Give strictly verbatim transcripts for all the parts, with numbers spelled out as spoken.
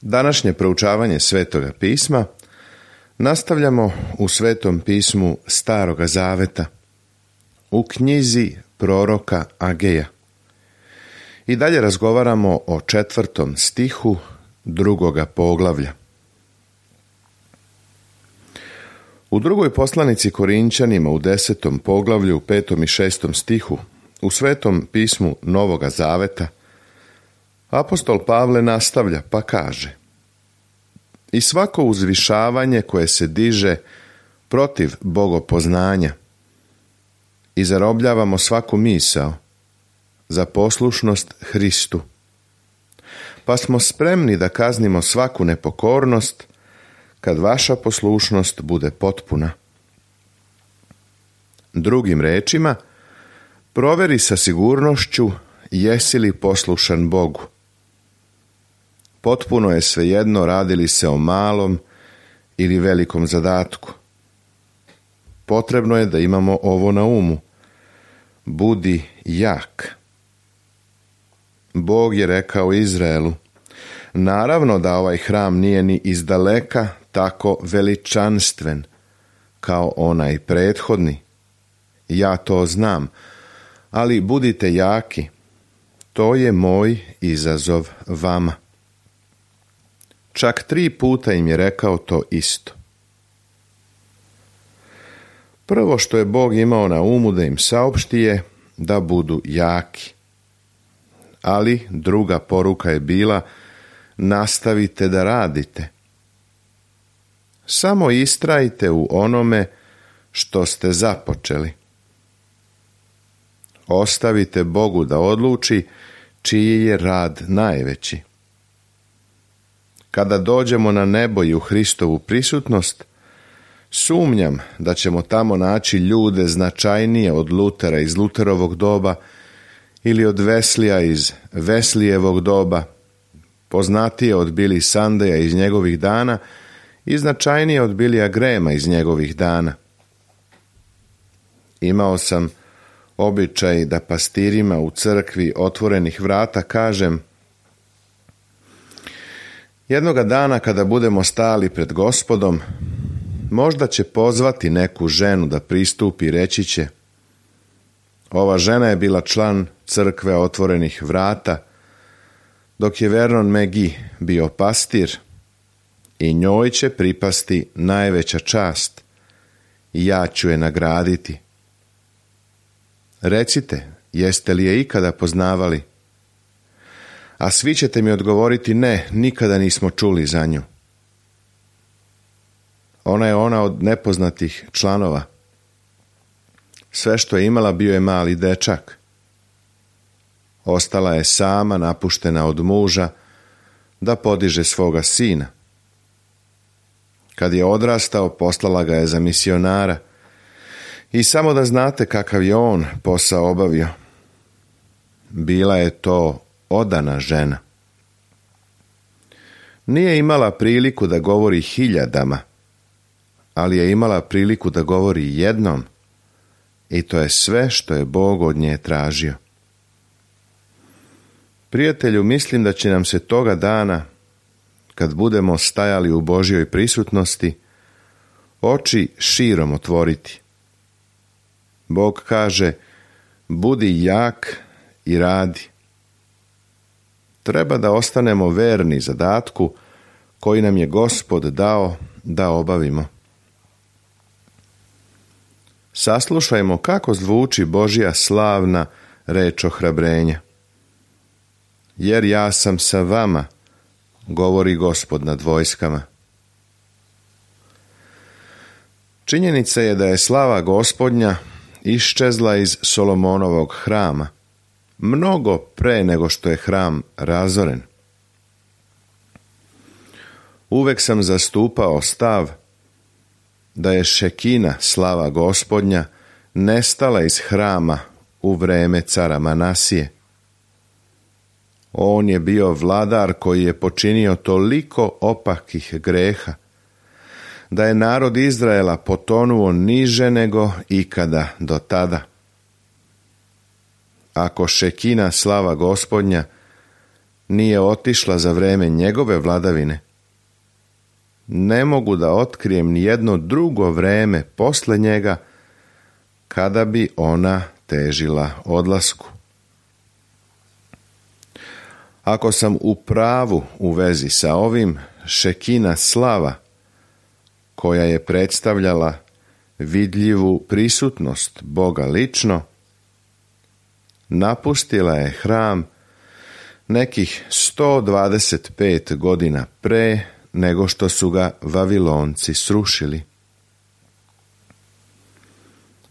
Današnje proučavanje Svetoga pisma nastavljamo u Svetom pismu Staroga Zaveta, u knjizi proroka Ageja. I dalje razgovaramo o četvrtom stihu drugoga poglavlja. U drugoj poslanici Korinčanima u desetom poglavlju, u petom i šestom stihu, u Svetom pismu Novoga Zaveta, apostol Pavle nastavlja pa kaže: I svako uzvišavanje koje se diže protiv bogopoznanja i zarobljavamo svaku misao za poslušnost Hristu, pa smo spremni da kaznimo svaku nepokornost kad vaša poslušnost bude potpuna. Drugim rečima, proveri sa sigurnošću jesi li poslušan Bogu. Potpuno je svejedno radi li se o malom ili velikom zadatku. Potrebno je da imamo ovo na umu. Budi jak. Bog je rekao Izraelu: naravno da ovaj hram nije ni izdaleka tako veličanstven kao onaj prethodni. Ja to znam, ali budite jaki. To je moj izazov vama. Čak tri puta im je rekao to isto. Prvo što je Bog imao na umu da im saopšti je da budu jaki. Ali druga poruka je bila: nastavite da radite. Samo istrajte u onome što ste započeli. Ostavite Bogu da odluči čiji je rad najveći. Kada dođemo na nebo i u Hristovu prisutnost, sumnjam da ćemo tamo naći ljude značajnije od Lutera iz Luterovog doba ili od Veslija iz Veslijevog doba, poznatije od Billy Sundaya iz njegovih dana i značajnije od Billya Grahama iz njegovih dana. Imao sam običaj da pastirima u crkvi Otvorenih vrata kažem: jednoga dana kada budemo stali pred Gospodom, možda će pozvati neku ženu da pristupi i reći će: ova žena je bila član crkve Otvorenih vrata, dok je Vernon McGee bio pastir, i njoj će pripasti najveća čast i ja ću je nagraditi. Recite, jeste li je ikada poznavali? A svi ćete mi odgovoriti: ne, nikada nismo čuli za nju. Ona je ona od nepoznatih članova. Sve što je imala bio je mali dečak. Ostala je sama, napuštena od muža, da podiže svoga sina. Kad je odrastao, poslala ga je za misionara. I samo da znate kakav je on posao obavio. Bila je to odana žena. Nije imala priliku da govori hiljadama, ali je imala priliku da govori jednom, i to je sve što je Bog od nje tražio. Prijatelju, mislim da će nam se toga dana, kad budemo stajali u Božjoj prisutnosti, oči širom otvoriti. Bog kaže: budi jak i radi. Treba da ostanemo verni zadatku koji nam je Gospod dao da obavimo. Saslušajmo kako zvuči Božja slavna reč ohrabrenja. Jer ja sam sa vama, govori Gospod nad vojskama. Činjenica je da je slava Gospodnja iščezla iz Solomonovog hrama, mnogo pre nego što je hram razoren. Uvek sam zastupao stav da je Šekina, slava Gospodnja, nestala iz hrama u vreme cara Manasije. On je bio vladar koji je počinio toliko opakih greha da je narod Izraela potonuo niže nego ikada do tada. Ako Šekina, slava Gospodnja, nije otišla za vreme njegove vladavine, ne mogu da otkrijem ni jedno drugo vreme posle njega kada bi ona težila odlasku. Ako sam u pravu u vezi sa ovim, Šekina slava, koja je predstavljala vidljivu prisutnost Boga lično, napustila je hram nekih sto dvadeset pet godina pre nego što su ga Vavilonci srušili.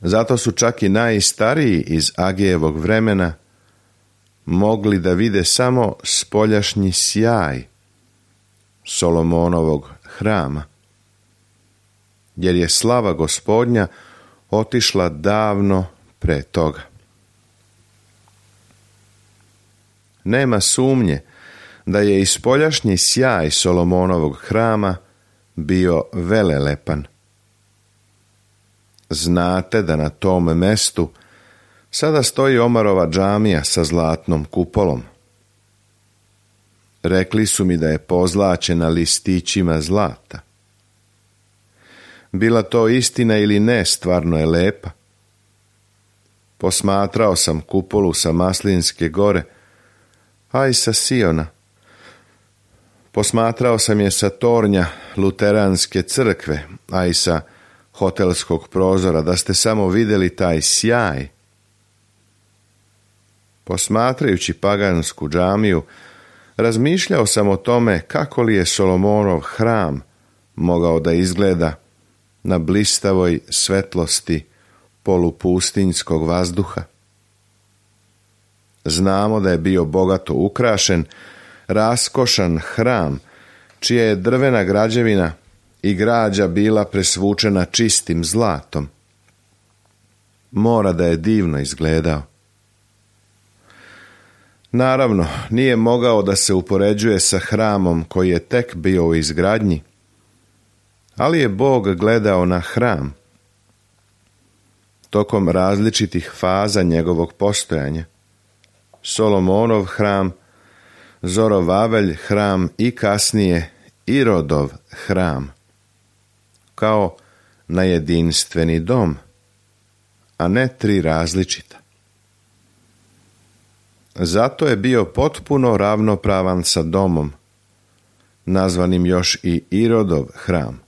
Zato su čak i najstariji iz Agejevog vremena mogli da vide samo spoljašnji sjaj Solomonovog hrama, jer je slava Gospodnja otišla davno pre toga. Nema sumnje da je i spoljašnji sjaj Solomonovog hrama bio velelepan. Znate da na tom mestu sada stoji Omarova džamija sa zlatnom kupolom. Rekli su mi da je pozlaćena listićima zlata. Bila to istina ili ne, stvarno je lepa. Posmatrao sam kupolu sa Maslinske gore, a i sa Siona. Posmatrao sam je sa tornja Luteranske crkve, a i sa hotelskog prozora, da ste samo vidjeli taj sjaj. Posmatrajući pagansku džamiju, razmišljao sam o tome kako li je Solomonov hram mogao da izgleda na blistavoj svetlosti polupustinjskog vazduha. Znamo da je bio bogato ukrašen, raskošan hram, čija je drvena građevina i građa bila presvučena čistim zlatom. Mora da je divno izgledao. Naravno, nije mogao da se upoređuje sa hramom koji je tek bio u izgradnji, ali je Bog gledao na hram tokom različitih faza njegovog postojanja. Solomonov hram, Zorovavelj hram i kasnije Irodov hram, kao na jedinstveni dom, a ne tri različita. Zato je bio potpuno ravnopravan sa domom, nazvanim još i Irodov hram,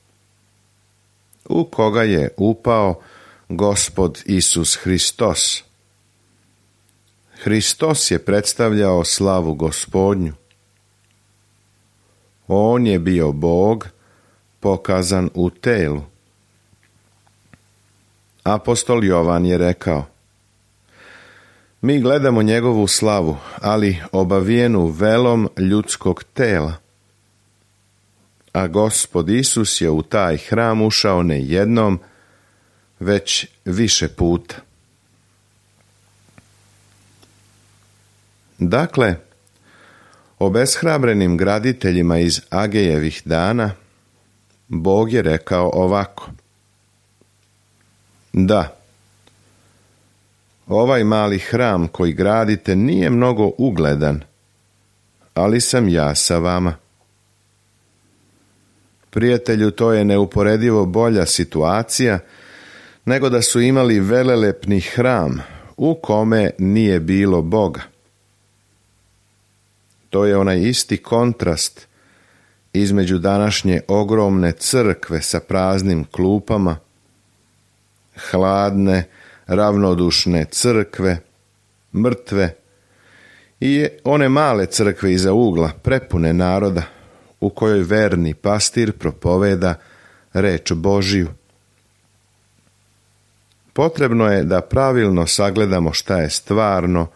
u koga je upao Gospod Isus Hristos. Hristos je predstavljao slavu Gospodnju. On je bio Bog pokazan u telu. Apostol Jovan je rekao: mi gledamo njegovu slavu, ali obavijenu velom ljudskog tela. A Gospod Isus je u taj hram ušao ne jednom, već više puta. Dakle, obeshrabrenim graditeljima iz Agejevih dana Bog je rekao ovako: da, ovaj mali hram koji gradite nije mnogo ugledan, ali sam ja sa vama. Prijatelju, to je neuporedivo bolja situacija nego da su imali velelepni hram u kome nije bilo Boga. To je onaj isti kontrast između današnje ogromne crkve sa praznim klupama, hladne, ravnodušne crkve, mrtve, i one male crkve iza ugla, prepune naroda, u kojoj verni pastir propoveda reč Božiju. Potrebno je da pravilno sagledamo šta je stvarno,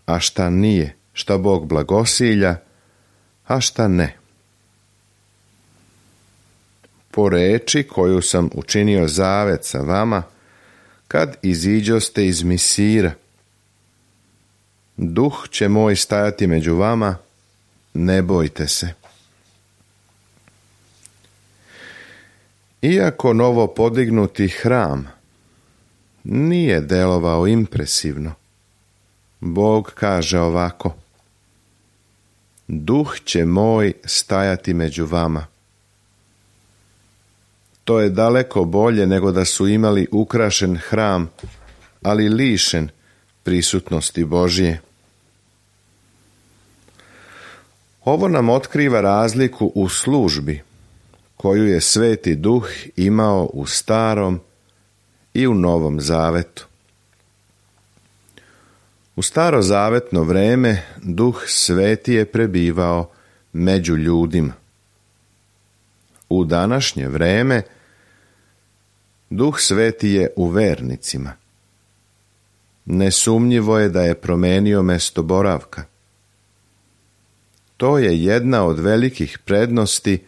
a šta nije, šta Bog blagosilja, a šta ne. Po reči koju sam učinio zavet sa vama, kad iziđoste iz Misira, duh će moj stajati među vama, ne bojte se. Iako novo podignuti hram nije delovao impresivno, Bog kaže ovako: duh će moj stajati među vama. To je daleko bolje nego da su imali ukrašen hram, ali lišen prisutnosti Božje. Ovo nam otkriva razliku u službi koju je Sveti Duh imao u Starom i u Novom Zavetu. U starozavetno vreme Duh Sveti je prebivao među ljudima. U današnje vreme Duh Sveti je u vernicima. Nesumnjivo je da je promenio mesto boravka. To je jedna od velikih prednosti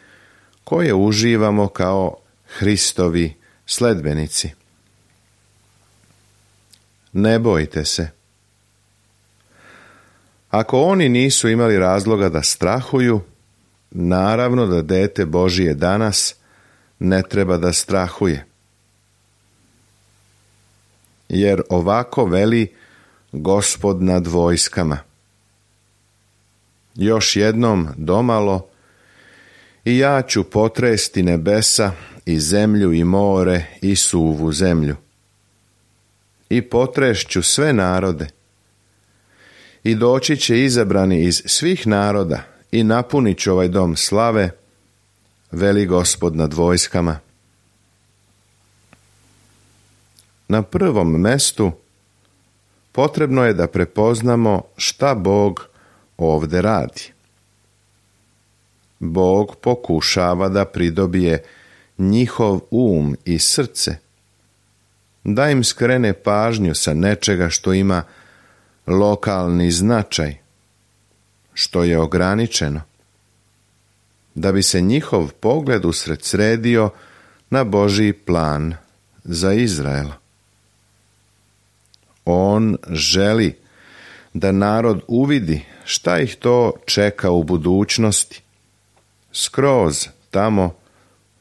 koje uživamo kao Hristovi sledbenici. Ne bojte se. Ako oni nisu imali razloga da strahuju, naravno da dete Božije danas ne treba da strahuje. Jer ovako veli Gospod nad vojskama. Još jednom domalo i ja ću potresti nebesa i zemlju i more i suvu zemlju. I potrešću sve narode. I doći će izabrani iz svih naroda i napunit ću ovaj dom slave, veli Gospod nad vojskama. Na prvom mestu potrebno je da prepoznamo šta Bog ovdje radi. Bog pokušava da pridobije njihov um i srce, da im skrene pažnju sa nečega što ima lokalni značaj, što je ograničeno, da bi se njihov pogled usredsredio na Božji plan za Izrael. On želi da narod uvidi šta ih to čeka u budućnosti, skroz tamo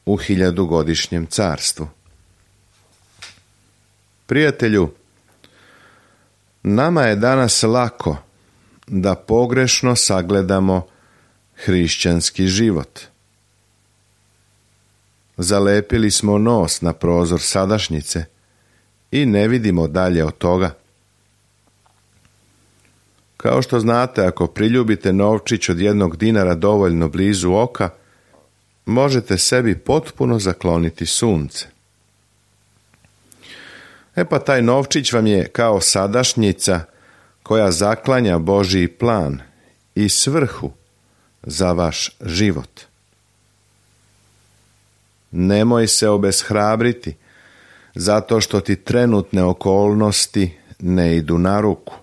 u hiljadugodišnjem carstvu. Prijatelju, nama je danas lako da pogrešno sagledamo hrišćanski život. Zalepili smo nos na prozor sadašnjice i ne vidimo dalje od toga. Kao što znate, ako priljubite novčić od jednog dinara dovoljno blizu oka, možete sebi potpuno zakloniti sunce. E pa taj novčić vam je kao sadašnjica koja zaklanja Božji plan i svrhu za vaš život. Nemoj se obeshrabriti zato što ti trenutne okolnosti ne idu na ruku.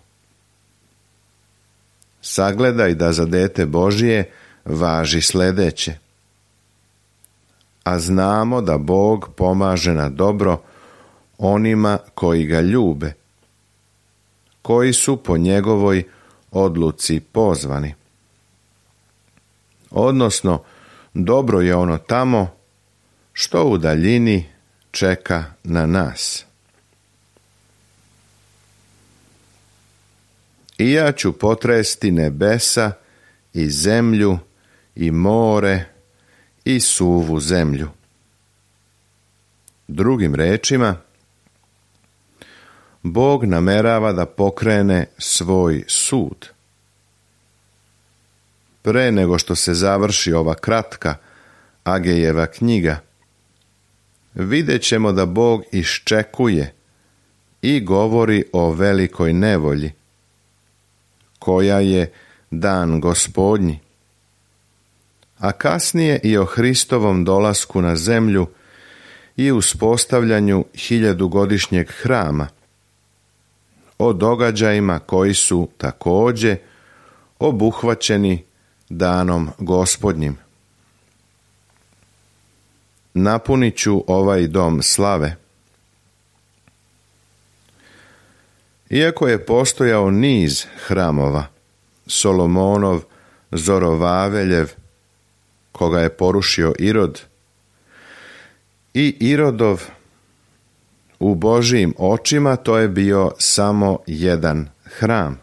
Sagledaj da za dete Božje važi sljedeće. A znamo da Bog pomaže na dobro onima koji ga ljube, koji su po njegovoj odluci pozvani. Odnosno, dobro je ono tamo što u daljini čeka na nas. I ja ću potresti nebesa i zemlju i more i suvu zemlju. Drugim rečima, Bog namerava da pokrene svoj sud. Pre nego što se završi ova kratka Agejeva knjiga, vidjet ćemo da Bog iščekuje i govori o velikoj nevolji, koja je dan Gospodnji, a kasnije i o Hristovom dolasku na zemlju i uspostavljanju hiljadugodišnjeg hrama, o događajima koji su također obuhvaćeni danom Gospodnjim. Napunit ću ovaj dom slave. Iako je postojao niz hramova, Solomonov, Zorovaveljev, koga je porušio Irod, i Irodov, u Božijim očima to je bio samo jedan hram.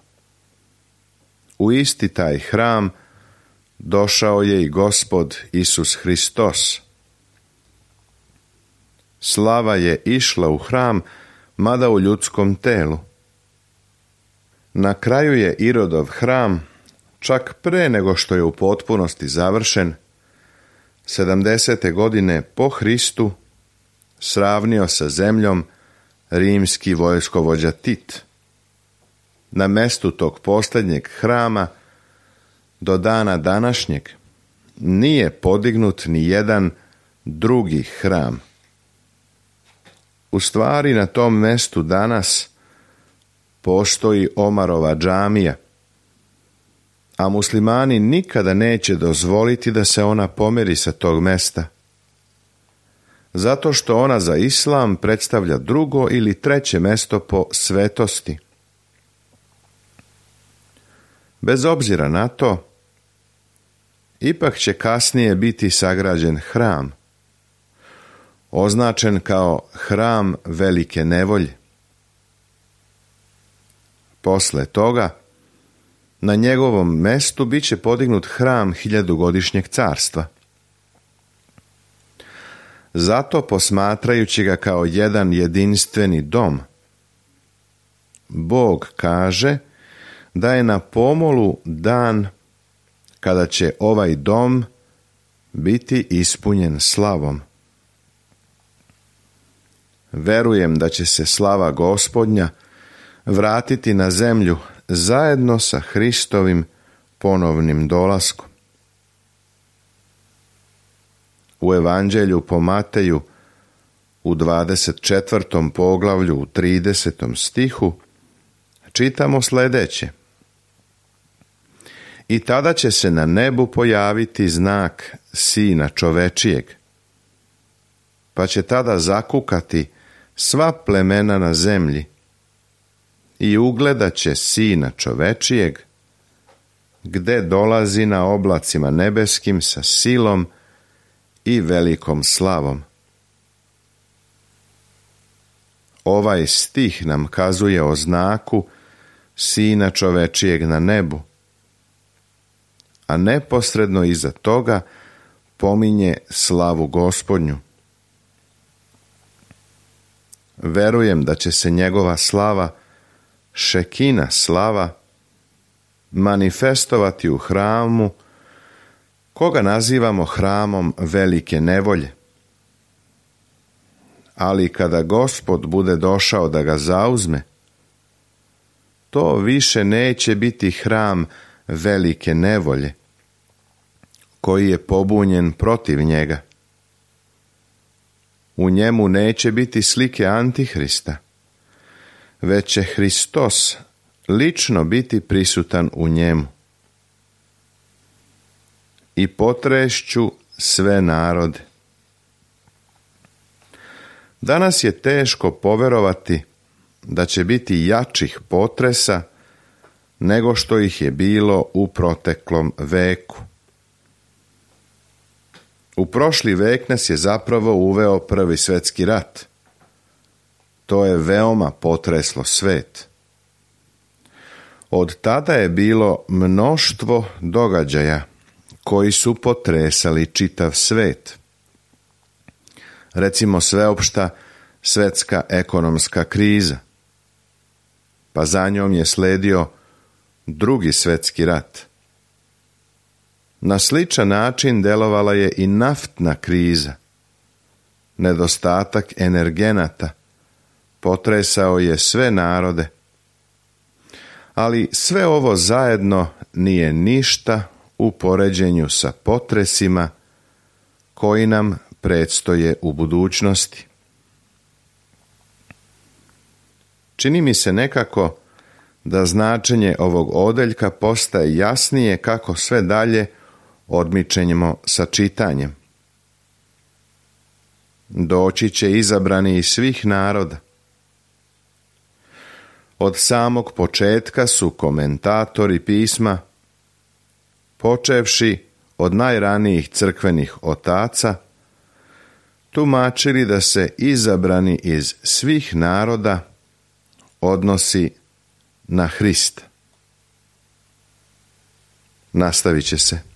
U isti taj hram došao je i Gospod Isus Hristos. Slava je išla u hram, mada u ljudskom telu. Na kraju je Irodov hram, čak pre nego što je u potpunosti završen, sedamdesete godine po Hristu, sravnio sa zemljom rimski vojskovođa Tit. Na mestu tog posljednjeg hrama do dana današnjeg nije podignut ni jedan drugi hram. U stvari na tom mestu danas postoji Omarova džamija, a muslimani nikada neće dozvoliti da se ona pomeri sa tog mesta, zato što ona za islam predstavlja drugo ili treće mesto po svetosti. Bez obzira na to, ipak će kasnije biti sagrađen hram, označen kao hram velike nevolje. Posle toga, na njegovom mestu bit će podignut hram hiljadugodišnjeg carstva. Zato, posmatrajući ga kao jedan jedinstveni dom, Bog kaže da je na pomolu dan kada će ovaj dom biti ispunjen slavom. Verujem da će se slava Gospodnja vratiti na zemlju zajedno sa Hristovim ponovnim dolaskom. U Evanđelju po Mateju u dvadeset četvrtom poglavlju u tridesetom stihu čitamo sljedeće: I tada će se na nebu pojaviti znak Sina čovečijeg, pa će tada zakukati sva plemena na zemlji i ugledat će Sina čovečijeg, gde dolazi na oblacima nebeskim sa silom i velikom slavom. Ovaj stih nam kazuje o znaku Sina čovečijeg na nebu, a neposredno iza toga pominje slavu Gospodnju. Verujem da će se njegova slava, šekina slava, manifestovati u hramu, koga nazivamo hramom velike nevolje. Ali kada Gospod bude došao da ga zauzme, to više neće biti hram velike nevolje, koji je pobunjen protiv njega. U njemu neće biti slike Antihrista, već će Hristos lično biti prisutan u njemu. I potrešću sve narode. Danas je teško poverovati da će biti jačih potresa nego što ih je bilo u proteklom veku. U prošli vek nas je zapravo uveo Prvi svjetski rat. To je veoma potreslo svet. Od tada je bilo mnoštvo događaja koji su potresali čitav svet. Recimo sveopšta svjetska ekonomska kriza, pa za njom je sledio Drugi svjetski rat. Na sličan način delovala je i naftna kriza. Nedostatak energenata potresao je sve narode. Ali sve ovo zajedno nije ništa u poređenju sa potresima koji nam predstoje u budućnosti. Čini mi se nekako da značenje ovog odeljka postaje jasnije kako sve dalje odmičemo sa čitanjem. Doći će izabrani iz svih naroda. Od samog početka su komentatori pisma, počevši od najranijih crkvenih otaca, tumačili da se izabrani iz svih naroda odnosi na Hrista. Nastavit će se.